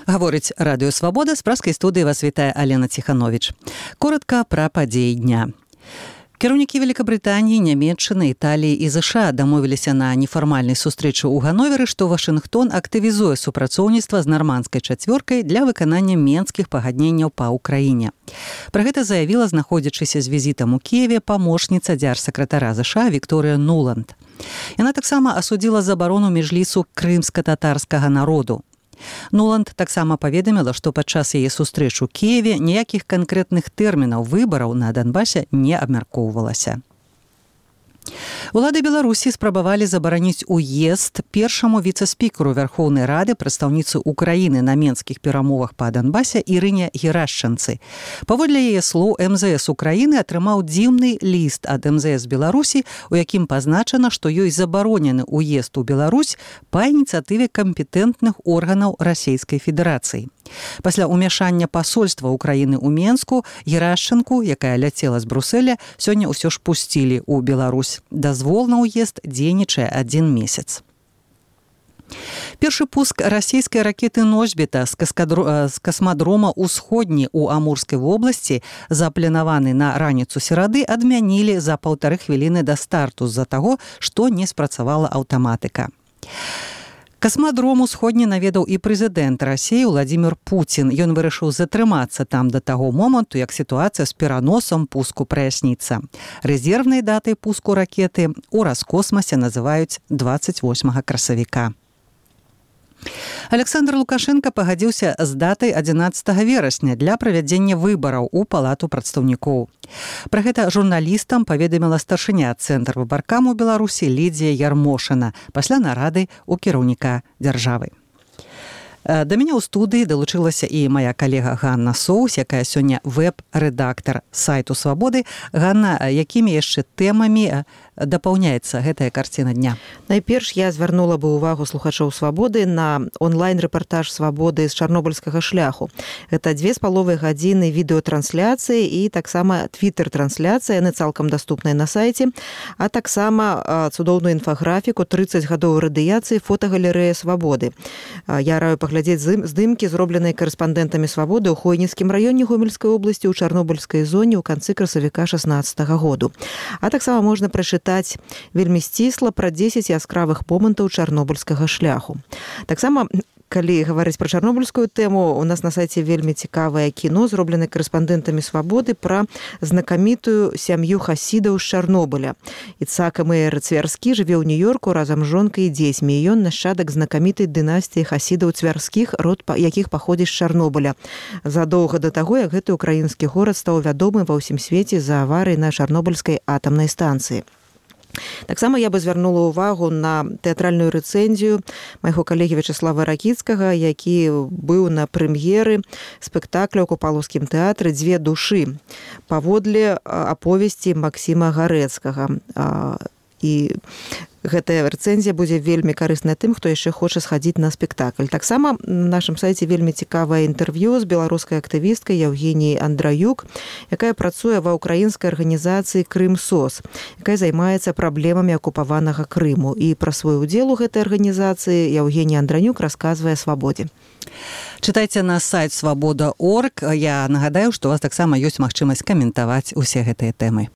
Гаворыць Радыё Свабода, з праскай студыі вас вітае Алена Ціхановіч. Коротка пра падзеі дня. Кіраўнікі Великабрытаніі, Нямецчыны, Італіі і ЗША дамовіліся на нефармальнай сустрэчы ў Ганновері, што Вашынгтон актывізуе супрацоўніцтва з нармандскай чацвёркай для выканання менскіх пагадненняў па ўкраіне. Пра гэта заявіла, знаходзячыся з візітам у Кіеве, памочніца дзяржсакратара ЗША Вікторыя Нуланд. Яна таксама асудзіла забарону міжлісу крымска-татарскага народу. Нуланд таксама паведаміла, што падчас яе сустрэч у Кіеве ніякіх канкрэтных тэрмінаў выбараў на Донбасе не абмяркоўвалася. Улады Беларусі спрабавалі забараніць уезд першаму віцэ-спікеру Верхоўнай Рады, прадстаўніцы Украіны на менскіх перамовах па Донбасе Ірыне Герашчанцы. Паводле яе слоў, МЗС Украіны атрымаў дзіўны ліст ад МЗС Беларусі, у якім пазначана, што ёй забаронены уезд у Беларусь па ініцыятыве кампетэнтных органаў Расійскай Федэрацыі. Пасля ўмяшання пасольства Украіны ў Менску Герашчанку, якая ляцела з Брусэля, сёння ўсё ж пусцілі ў Беларусь. Дазвол на ўезд дзейнічае 1 месяц. Першы пуск расійскай ракеты «Носьбіта» з касмадрома «Усходні» ў Амурскай вобласці, запланаваны на раніцу серады, адмянілі за 1,5 хвіліны да старту з-за таго, што не спрацавала аўтаматыка. Касмадром «Усходні» наведаў і прэзідэнт Расіі Владзімір Пуцін. Ён вырашыў затрымацца там да таго моманту, як сітуацыя з пераносам пуску праясніцца. Рэзервнай датай пуску ракеты ў Раскосмасе называюць 28 красавіка. Александр Лукашенко пагадзіўся з датай 11 верасня для правядзення выбараў у Палату прадстаўнікоў. Пра гэта журналістам паведаміла старшыня Цэнтр выбаркам у Беларусі Лідзія Ярмошына пасля нарады ў кіраўніка дзяржавы. Да мяне ў студыі далучылася і мая калега Ганна Соус, якая сёння вэб-рэдактар сайту Свабоды. Ганна, якімі яшчэ тэмамі дапаўняецца гэтая карціна дня? Найперш я звярнула бы ўвагу слухачоў Свабоды на онлайн-рэпартаж Свабоды з чарнобыльскага шляху. Гэта 2,5 гадзіны відэатрансляцыі і таксама твітер-трансляцыя, яны цалкам даступныя на сайце, а таксама цудоўную інфаграфіку 30 гадоў радыяцыі фотагалерэя Свабоды. Я раю паглядзець здымкі, зробленыя карэспандэнтамі Свабоды ў Хойніцкім раёне Гомельскай обласці ў Чарнобыльскай зоне ў канцы красавіка 16 году. А таксама можна прачытаць вельмі сцісла пра 10 яскравых момантаў чарнобыльскага шляху. Таксама, калі гаварыць пра чарнобыльскую тэму, у нас на сайце вельмі цікавае кіно, зробленае карэспандэнтамі Свабоды пра знакамітую сям'ю хасідаў з Чарнобыля. Іцхак Меер Цвярскі жыве ў Нью-Йорку разам з жонкай і дзецьмі. Ён нашчадак знакамітай дынастыі хасідаў Цвярскіх, род якіх паходзіць з Чарнобыля. Задоўга да таго, як гэты украінскі горад стаў вядомы ва ўсім свеце за аварыі на Чарнобыльскай атамнай станцыі. Таксама я бы звярнула ўвагу на тэатральную рэцэнзію майго калегі Вячаслава Ракіцкага, які быў на прэм'еры спектакля ў Купалаўскім тэатры «Дзве душы» паводле аповесці Максіма Гарэцкага. І гэтая рэцэнзія будзе вельмі карысная тым, хто яшчэ хоча схадзіць на спектакль. Таксама на нашым сайце вельмі цікавае інтэрв'ю з беларускай актывісткай Евгеніяй Андраюк, якая працуе ва ўкраінскай арганізацыі «Крым-СОС», якая займаецца праблемамі акупаванага Крыму. І пра свой удзел у гэтай арганізацыі Евгенія Андраюк расказвае Свабодзе. Чытайце на сайт свабода.орг. Я нагадаю, што у вас таксама ёсць магчымасць каментаваць усе гэтыя тэмы.